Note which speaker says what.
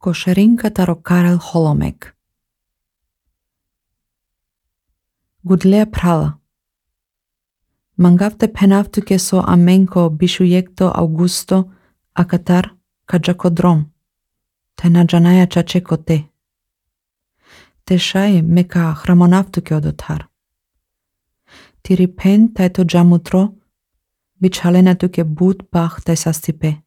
Speaker 1: Košerinka taro Karel Holomek. Gudlea prala. Mangavte penavtuke so amenko bishuyekto Augusto akatar kajakodrom. Tena janaya chachekote. Teshai meka hramonavtuke odotar. Tiripen taito jamutro bichalena tuke but bach tesastipe.